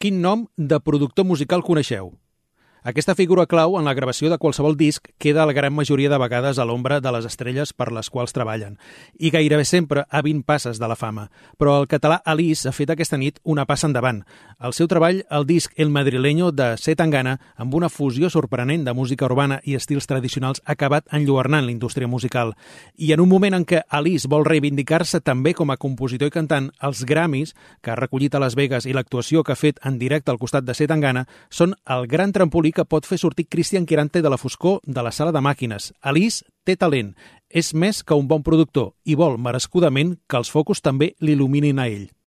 quin nom de productor musical coneixeu? Aquesta figura clau en la gravació de qualsevol disc queda la gran majoria de vegades a l'ombra de les estrelles per les quals treballen i gairebé sempre a 20 passes de la fama. Però el català Alice ha fet aquesta nit una passa endavant. El seu treball, el disc El Madrileño de C. Tangana, amb una fusió sorprenent de música urbana i estils tradicionals, ha acabat enlluernant la indústria musical. I en un moment en què Alice vol reivindicar-se també com a compositor i cantant, els Grammys, que ha recollit a Las Vegas, i l'actuació que ha fet en directe al costat de C. Tangana, són el gran trampolí que pot fer sortir Cristian Quirante de la foscor de la sala de màquines. Alice té talent, és més que un bon productor i vol merescudament que els focus també l'il·luminin a ell.